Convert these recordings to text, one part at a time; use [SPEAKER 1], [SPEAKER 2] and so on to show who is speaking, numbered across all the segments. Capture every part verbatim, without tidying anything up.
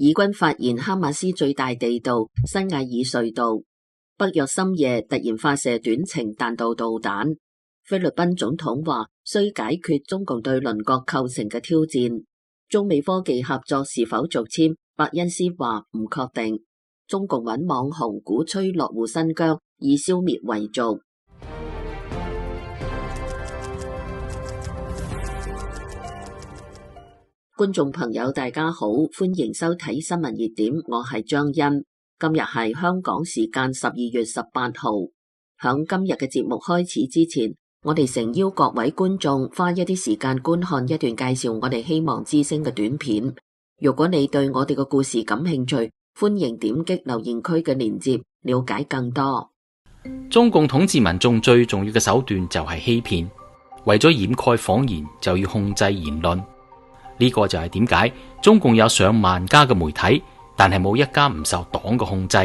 [SPEAKER 1] 以軍發現哈馬斯最大地道西亞爾隧道，北約深夜突然發射短程彈道導彈。菲律賓總統話需解決中共對鄰國構成嘅挑戰。中美科技合作是否續簽？伯恩斯話唔確定。中共揾網紅鼓吹落戶新疆，以消滅維族。觀眾朋友大家好，歡迎收睇新聞熱點，我係張欣。今日係香港時間十二月十八號。響今日嘅節目開始之前，我哋誠邀各位觀眾花一啲時間觀看一段介紹我哋希望之聲嘅短片。如果你對我哋嘅故事感興趣，歡迎點擊留言區嘅鏈接，了解更多。
[SPEAKER 2] 中共統治民眾最重要嘅手段就係欺騙，為咗掩蓋謊言，就要控制言論。呢個就係點解中共有上萬家嘅媒體，但係冇一家唔受黨嘅控制。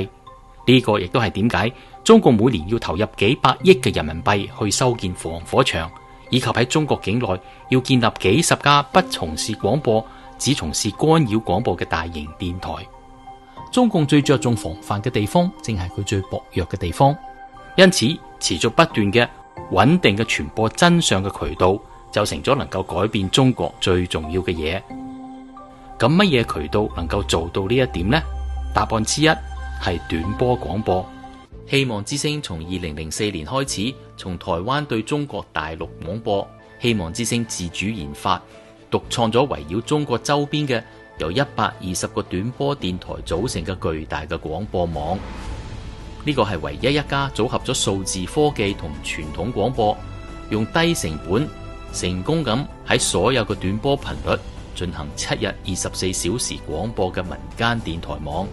[SPEAKER 2] 呢個亦都係點解中共每年要投入幾百億嘅人民幣去修建防火牆，以及喺中國境內要建立幾十家不從事廣播，只從事干擾廣播嘅大型電台。中共最着重防範嘅地方，正係佢最薄弱嘅地方。因此，持續不斷嘅穩定嘅傳播真相嘅渠道，就成咗能夠改變中國最重要嘅嘢。咁乜嘢渠道能夠做到呢一點呢？答案之一係短波廣播。希望之聲從二零零四年開始，從台灣對中國大陸廣播。希望之聲自主研發、獨創咗圍繞中國周邊嘅由一百二十個短波電台組成嘅巨大嘅廣播網。呢個係唯一一家組合咗數字科技同傳統廣播，用低成本成功咁喺所有嘅短波頻率進行七日二十四小時廣播嘅民間電台網。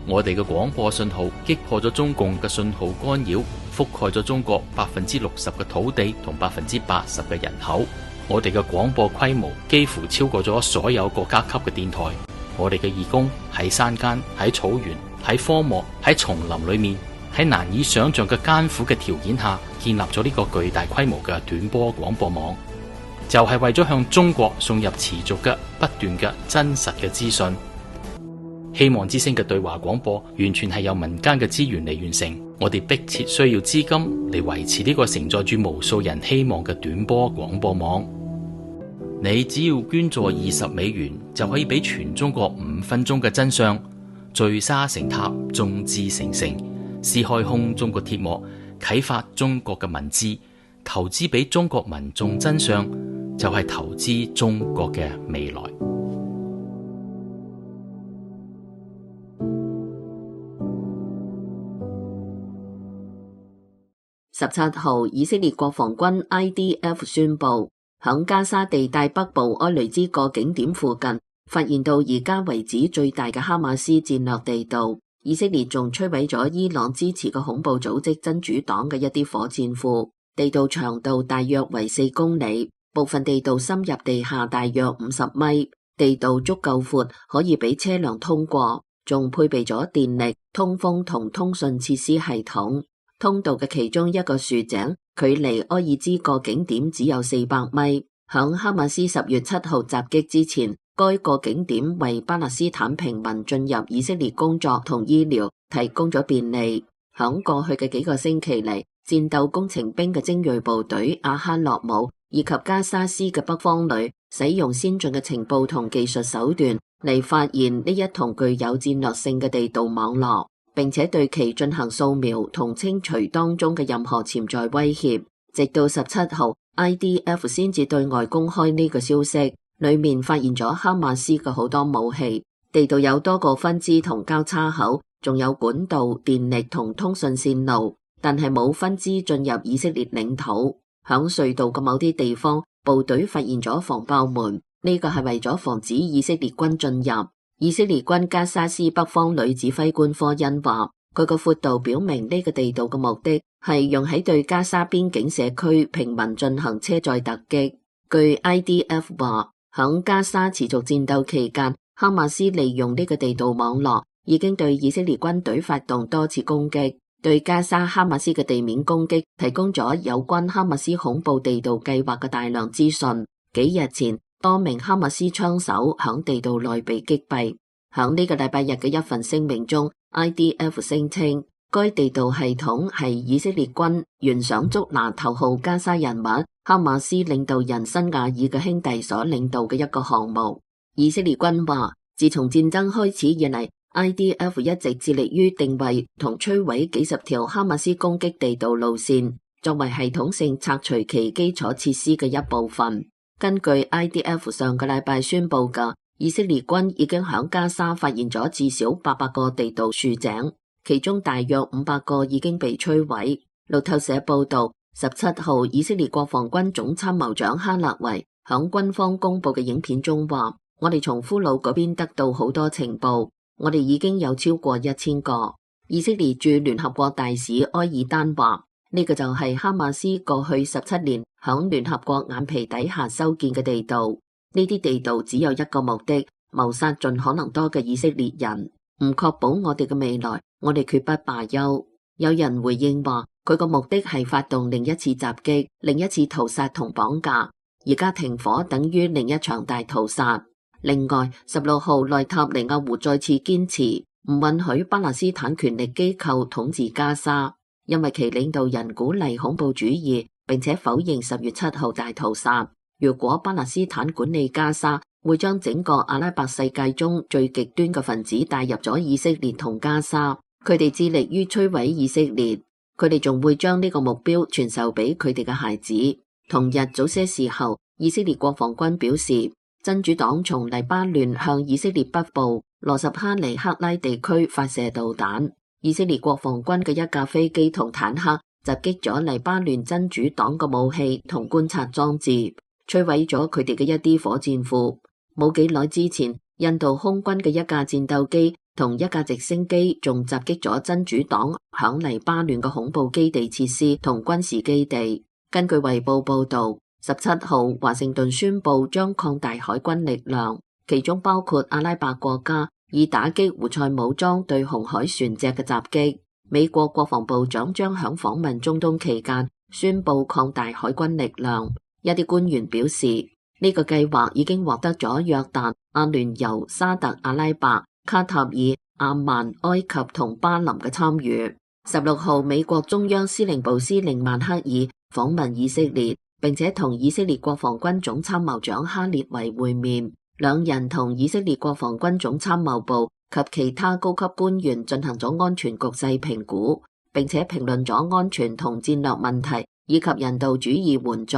[SPEAKER 2] 我哋嘅廣播信號擊破咗中共嘅信號干擾，覆蓋咗中國百分之六十嘅土地同百分之八十嘅人口。我哋嘅廣播規模幾乎超過咗所有國家級嘅電台。我哋嘅義工喺山間、喺草原、喺荒漠、喺叢林裏面，喺難以想象嘅艱苦嘅條件下，建立咗呢個巨大規模嘅短波廣播網，就係為咗向中國送入持續嘅不斷嘅真實嘅資訊。希望之聲嘅對話廣播完全係由民間嘅資源嚟完成，我哋迫切需要資金嚟維持呢個承載住無數人希望嘅短波廣播網。你只要捐助二十美元，就可以俾全中國五分鐘嘅真相，聚沙成塔，眾志成城，撕開空中嘅鐵幕，啟發中國嘅文字，投資俾中國民眾真相，就係投資中國嘅未來。
[SPEAKER 1] 十七號，以色列國防軍 I D F 宣布，響加沙地帶北部埃雷茲個景點附近，發現到而家為止最大嘅哈馬斯戰略地道。以色列仲摧毀咗伊朗支持嘅恐怖組織真主黨嘅一啲火箭庫。地道長度大約為四公里，部分地道深入地下大約五十米，地道足夠闊，可以俾車輛通過，仲配備咗電力、通風同通訊設施系統。通道嘅其中一個豎井，距離埃爾茲個景點只有四百米。響哈馬斯十月七號襲擊之前，該個景點為巴勒斯坦平民進入以色列工作同醫療提供咗便利。響過去嘅幾個星期嚟，戰鬥工程兵嘅精銳部隊阿哈諾姆以及加沙斯嘅北方旅，使用先進嘅情報同技術手段嚟發現呢一同具有戰略性嘅地道網絡，並且對其進行掃描同清除當中嘅任何潛在威脅。直到十七號 I D F 先至對外公開呢個消息，裏面發現咗哈馬斯嘅好多武器。地道有多個分支同交叉口，仲有管道、電力同通訊線路，但係冇分支進入以色列領土。響隧道嘅某啲地方，部隊發現咗防爆門，呢個係為咗防止以色列軍進入。以色列軍加沙斯北方旅指揮官科恩話，佢個闊度表明呢個地道嘅目的係用喺對加沙邊境社區平民進行車載突擊。據 I D F 話，響加沙持續戰鬥期間，哈馬斯利用呢個地道網絡，已經對以色列軍隊發動多次攻擊，對加沙哈馬斯嘅地面攻擊提供咗有關哈馬斯恐怖地道計劃嘅大量資訊。幾日前，多名哈馬斯槍手響地道內被擊斃。響呢個禮拜日嘅一份聲明中 ，I D F 聲稱該地道系統係以色列軍懸賞捉拿頭號加沙人物哈馬斯領導人辛瓦爾嘅兄弟所領導嘅一個項目。以色列軍話，自從戰爭開始以嚟 ，I D F 一直致力於定位同摧毀幾十條哈馬斯攻擊地道路線，作為系統性拆除其基礎設施嘅一部分。根據 I D F 上個禮拜宣布嘅，以色列軍已經響加沙發現咗至少八百個地道豎井。其中大約五百個已經被摧毀。路透社報道，十七號以色列國防軍總參謀長哈勒維響軍方公布嘅影片中話：我哋從俘虜嗰邊得到好多情報，我哋已經有超過一千個。以色列駐聯合國大使埃爾丹話：呢個就係哈馬斯過去十七年響聯合國眼皮底下修建嘅地道。呢啲地道只有一個目的，謀殺盡可能多嘅以色列人，唔確保我哋嘅未來。我哋決不罷休。有人回應話，佢個目的係發動另一次襲擊，另一次屠殺同綁架。而家停火等於另一場大屠殺。另外，十六號內塔尼亞胡再次堅持唔允許巴勒斯坦權力機構統治加沙，因為其領導人鼓勵恐怖主義，並且否認十月七號大屠殺。如果巴勒斯坦管理加沙，會將整個阿拉伯世界中最極端嘅分子帶入咗以色列同加沙。佢哋致力於摧毀以色列，佢哋仲會將呢個目標傳授俾佢哋嘅孩子。同日早些時候，以色列國防軍表示，真主黨從黎巴嫩向以色列北部羅什哈尼克拉地區發射導彈。以色列國防軍嘅一架飛機同坦克襲擊咗黎巴嫩真主黨嘅武器同觀察裝置，摧毀咗佢哋嘅一啲火箭庫。冇幾耐之前，印度空軍嘅一架戰鬥機同一架直升機仲襲擊咗真主黨響黎巴嫩嘅恐怖基地設施同軍事基地。根據衛報報道，十七號華盛頓宣布將擴大海軍力量，其中包括阿拉伯國家，以打擊胡塞武裝對紅海船隻嘅襲擊。美國國防部長將響訪問中東期間宣布擴大海軍力量。一啲官員表示，呢個計劃已經獲得咗約旦、阿聯酋、沙特阿拉伯、卡塔爾、阿曼、埃及同巴林嘅參與。十六號，美國中央司令部司令曼克爾訪問以色列，並且同以色列國防軍總參謀長哈列維會面。兩人同以色列國防軍總參謀部及其他高級官員進行咗安全局勢評估，並且評論咗安全同戰略問題以及人道主義援助。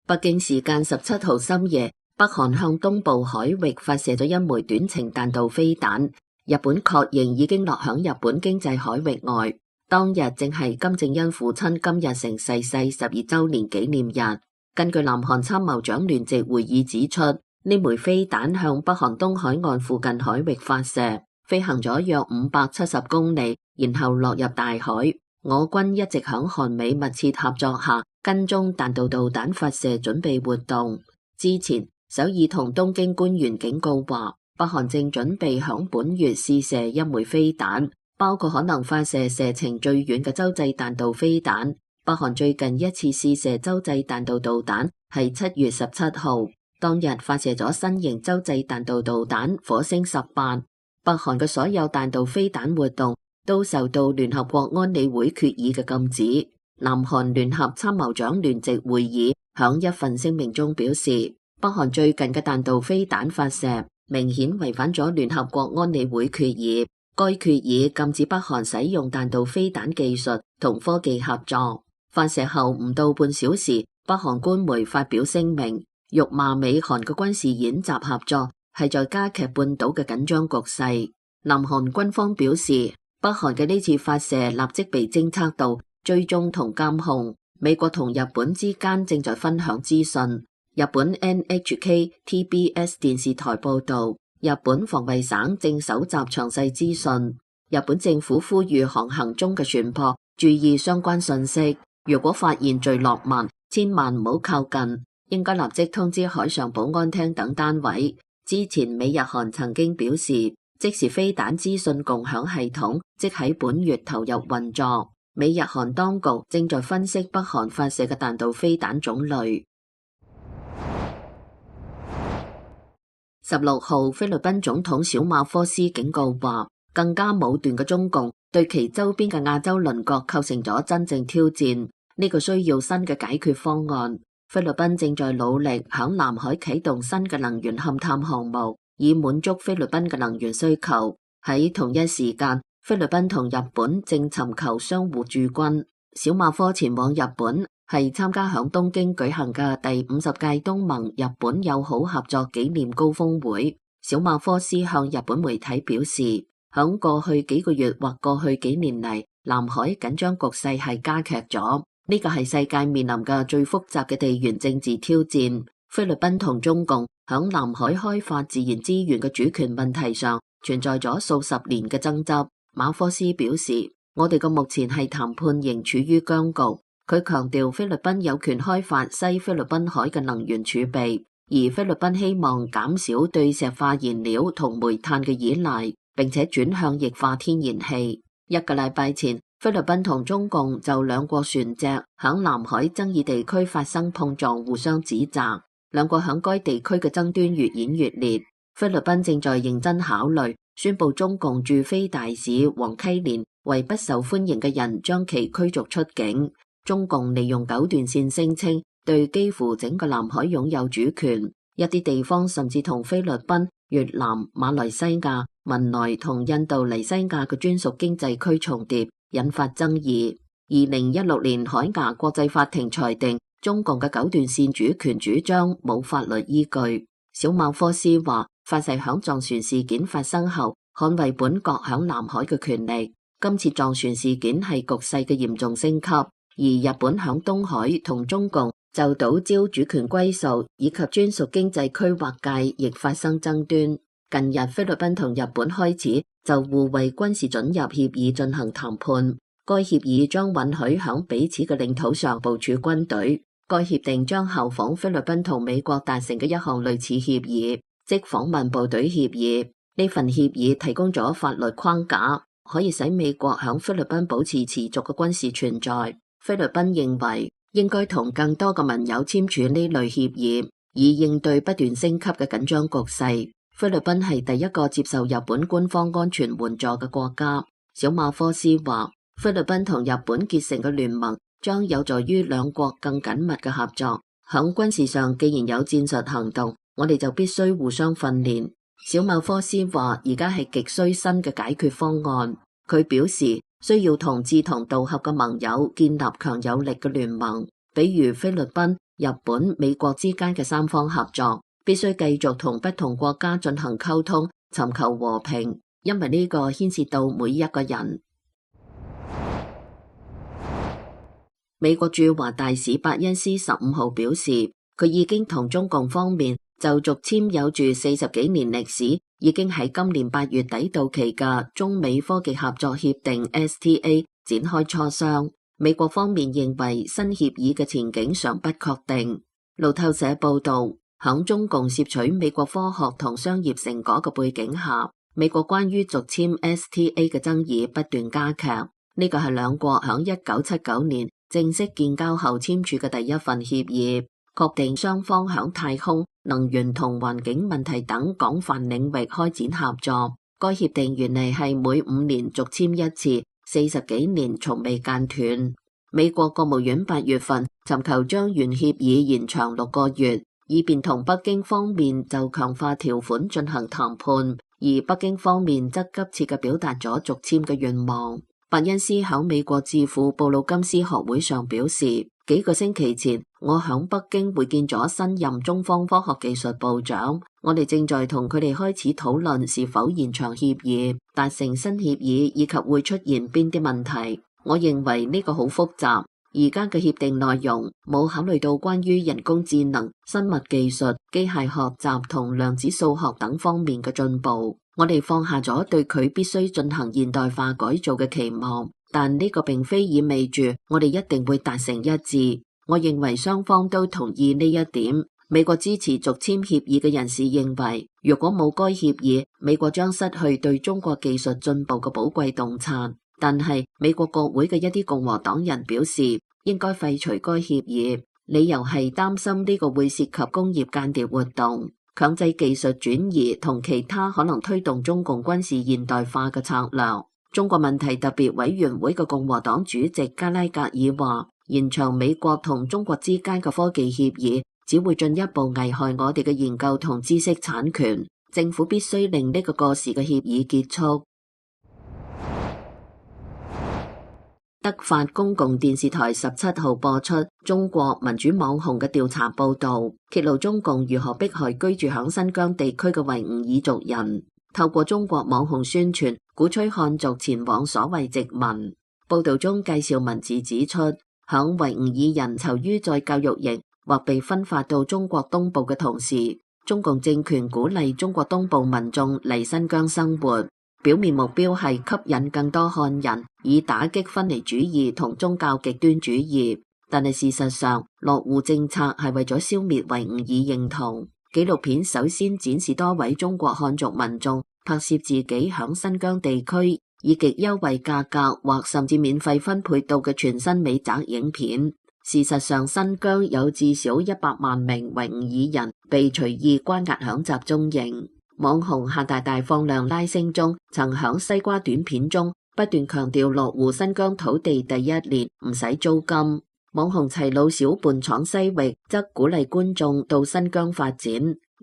[SPEAKER 1] 北京時間十七號深夜，北韓向東部海域發射咗一枚短程彈道飛彈，日本確認已經落響日本經濟海域外。當日正係金正恩父親金日成逝世十二週年紀念日。根據南韓參謀長聯席會議指出，呢枚飛彈向北韓東海岸附近海域發射，飛行咗約五百七十公里，然後落入大海。我軍一直響韓美密切合作下跟蹤彈道導彈發射準備活動。之前首爾同東京官員警告話，北韓正準備響本月試射一枚飛彈，包括可能發射射程最遠嘅洲際彈道飛彈。北韓最近一次試射洲際彈道導彈係七月十七號，當日發射咗新型洲際彈道導彈火星十八。北韓嘅所有彈道飛彈活動都受到聯合國安理會決議嘅禁止。南韓聯合參謀長聯席會議響一份聲明中表示，北韓最近嘅彈道飛彈發射明顯違反咗聯合國安理會決議。該決議禁止北韓使用彈道飛彈技術同科技合作。發射後唔到半小時，北韓官媒發表聲明，辱罵美韓嘅軍事演習合作係在加劇半島嘅緊張局勢。南韓軍方表示，北韓嘅呢次發射立即被偵測到、追蹤同監控。美國同日本之間正在分享資訊。日本 N H K T B S 電視台報道，日本防衛省正搜集詳細資訊。日本政府呼籲航行中嘅船舶注意相關信息，如果發現墜落物，千萬唔好靠近，應該立即通知海上保安廳等單位。之前美日韓曾經表示，即時飛彈資訊共享系統即喺本月投入運作。美日韓當局正在分析北韓發射嘅彈道飛彈種類。十六號，菲律賓總統小馬科斯警告話，更加武斷嘅中共對其周邊嘅亞洲鄰國構成咗真正挑戰，呢個需要新嘅解決方案。菲律賓正在努力響南海啟動新嘅能源勘探項目，以滿足菲律賓嘅能源需求。喺同一時間，菲律賓同日本正尋求相互駐軍。小馬科前往日本係參加響東京舉行嘅第五十屆東盟日本友好合作紀念高峰會。小馬科斯向日本媒體表示，響過去幾個月或過去幾年嚟，南海緊張局勢係加劇咗。呢個係世界面臨嘅最複雜嘅地緣政治挑戰。菲律賓同中共響南海開發自然資源嘅主權問題上存在咗數十年嘅爭執。馬科斯表示，我哋嘅目前係談判仍處於僵局。佢強調菲律賓有權開發西菲律賓海嘅能源儲備，而菲律賓希望減少對石化燃料同煤炭嘅依賴，並且轉向液化天然氣。一個禮拜前，菲律賓同中共就兩國船隻響南海爭議地區發生碰撞，互相指責。兩國響該地區嘅爭端越演越烈。菲律賓正在認真考慮宣布中共駐菲大使黃溪連為不受歡迎嘅人將其驅逐出境。中共利用九段線聲稱對幾乎整個南海擁有主權，一啲地方甚至同菲律賓、越南、馬來西亞、文萊同印度尼西亞嘅專屬經濟區重疊，引發爭議。二零一六年海牙國際法庭裁定中共嘅九段線主權主張冇法律依據。小馬科斯話，發誓響撞船事件發生後捍衛本國響南海嘅權利。今次撞船事件係局勢嘅嚴重升級，而日本響東海同中共就島礁主權歸屬以及專屬經濟區劃界亦發生爭端。近日菲律賓同日本開始就互為軍事准入協議進行談判，該協議將允許響彼此嘅領土上部署軍隊。該協定將效仿菲律賓同美國達成嘅一項類似協議，即訪問部隊協議。呢份協議提供咗法律框架，可以使美國響菲律賓保持持續嘅軍事存在。菲律賓認為應該同更多嘅盟友簽署呢類協議，以應對不斷升級嘅緊張局勢。菲律賓係第一個接受日本官方安全援助嘅國家。小馬科斯話，菲律賓同日本結成嘅聯盟將有助於兩國更緊密嘅合作。響軍事上，既然有戰術行動，我哋就必須互相訓練。小馬科斯話，而家係極需新嘅解決方案。佢表示，需要同志同道合嘅盟友建立強有力嘅聯盟，比如菲律賓、日本、美國之間嘅三方合作，必須繼續同不同國家進行溝通，尋求和平，因為呢個牽涉到每一個人。美國駐華大使伯恩斯十五號表示，佢已經同中共方面就續簽有住四十幾年歷史，已經喺今年八月底到期嘅中美科技合作協定 S T A 展開磋商。美國方面認為新協議嘅前景尚不確定。路透社報道，響中共攝取美國科學同商業成果嘅背景下，美國關於續簽 S T A 嘅爭議不斷加劇。呢個係兩國響一九七九年正式建交後簽署嘅第一份協議，確定雙方響太空、能源同環境問題等廣泛領域開展合作。該協定原嚟係每五年續簽一次，四十幾年從未間斷。美國國務院八月份尋求將原協議延長六個月，以便同北京方面就強化條款進行談判，而北京方面則急切嘅表達咗續簽嘅願望。伯恩斯響美國智庫布魯金斯學會上表示，幾個星期前我響北京會見咗新任中方科學技術部長，我哋正在同佢哋開始討論是否延長協議、達成新協議以及會出現邊啲問題。我認為呢個好複雜，而家嘅協定內容冇考慮到關於人工智能、生物技術、機械學習同量子數學等方面嘅進步。我哋放下咗對佢必須進行現代化改造嘅期望，但呢個並非意味住我哋一定會達成一致。我認為雙方都同意呢一點。美國支持續簽協議嘅人士認為，如果冇該協議，美國將失去對中國技術進步嘅寶貴洞察。但係美國國會嘅一啲共和黨人表示，應該廢除該協議，理由係擔心呢個會涉及工業間諜活動。強制技術轉移同其他可能推動中共軍事現代化嘅策略。中國問題特別委員會嘅共和黨主席加拉格爾話，延長美國同中國之間嘅科技協議只會進一步危害我哋嘅研究同知識產權，政府必須令呢個過時嘅協議結束。德法公共電視台十七號播出中國民主網紅嘅調查報導，揭露中共如何迫害居住響新疆地區嘅維吾爾族人，透過中國網紅宣傳，鼓吹漢族前往所謂殖民。報導中介紹文字指出，響維吾爾人囚於在教育營或被分發到中國東部嘅同時，中共政權鼓勵中國東部民眾嚟新疆生活。表面目標係吸引更多漢人，以打擊分離主義同宗教極端主義。但係事實上，落戶政策係為咗消滅維吾爾認同。紀錄片首先展示多位中國漢族民眾拍攝自己響新疆地區以極優惠價格或甚至免費分配到嘅全新美宅影片。事實上，新疆有至少一百萬名維吾爾人被隨意關押響集中營。網紅夏大大放量拉星中，曾響西瓜短片中不斷強調落戶新疆土地第一年唔使租金。網紅齊魯小伴闖西域則鼓勵觀眾到新疆發展，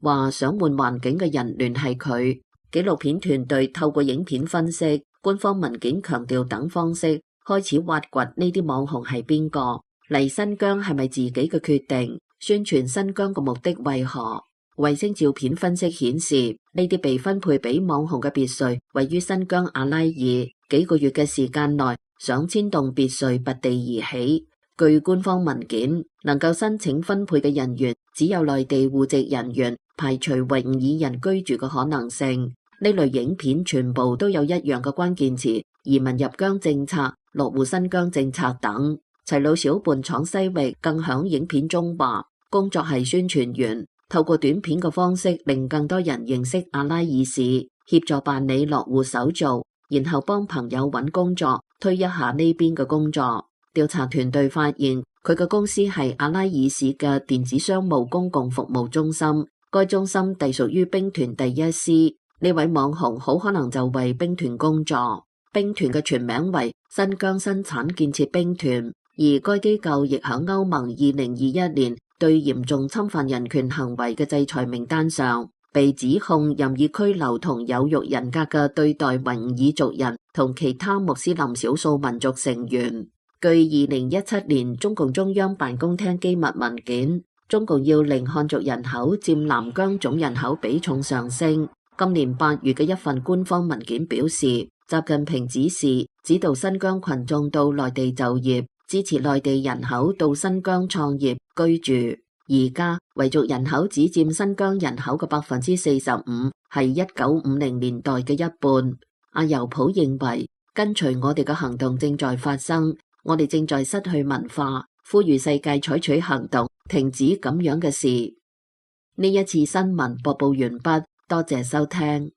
[SPEAKER 1] 話想換環境嘅人聯繫佢。紀錄片團隊透過影片分析、官方文件強調等方式，開始挖掘呢啲網紅係邊個，嚟新疆係咪自己嘅決定，宣傳新疆嘅目的為何。衛星照片分析顯示，呢啲被分配俾網紅嘅別墅位於新疆阿拉爾，幾個月嘅時間內，上千棟別墅拔地而起。據官方文件，能夠申請分配嘅人員只有內地戶籍人員，排除維吾爾人居住嘅可能性。呢類影片全部都有一樣嘅關鍵詞：移民入疆政策、落戶新疆政策等。齊魯小伴闖西域更響影片中話，工作係宣傳員。透過短片嘅方式，令更多人認識阿拉爾市，協助辦理落戶手續，然後幫朋友揾工作，推一下呢邊嘅工作。調查團隊發現，佢嘅公司係阿拉爾市嘅電子商務公共服務中心，該中心隸屬於兵團第一師。呢位網紅好可能就為兵團工作。兵團嘅全名為新疆生產建設兵團，而該機構亦喺歐盟二零二一年對嚴重侵犯人權行為嘅制裁名單上，被指控任意拘留同有辱人格嘅對待維吾爾族人同其他穆斯林少數民族成員。據二零一七年中共中央辦公廳機密文件，中共要令漢族人口佔南疆總人口比重上升。今年八月嘅一份官方文件表示，習近平指示指導新疆群眾到內地就業，支持內地人口到新疆創業居住。而家維族人口只佔新疆人口嘅百分之四十五，係一九五零年代嘅一半。阿尤普認為，跟隨我哋嘅行動正在發生，我哋正在失去文化，呼籲世界採取行動，停止咁樣嘅事。呢一次新聞播報完畢，多謝收聽。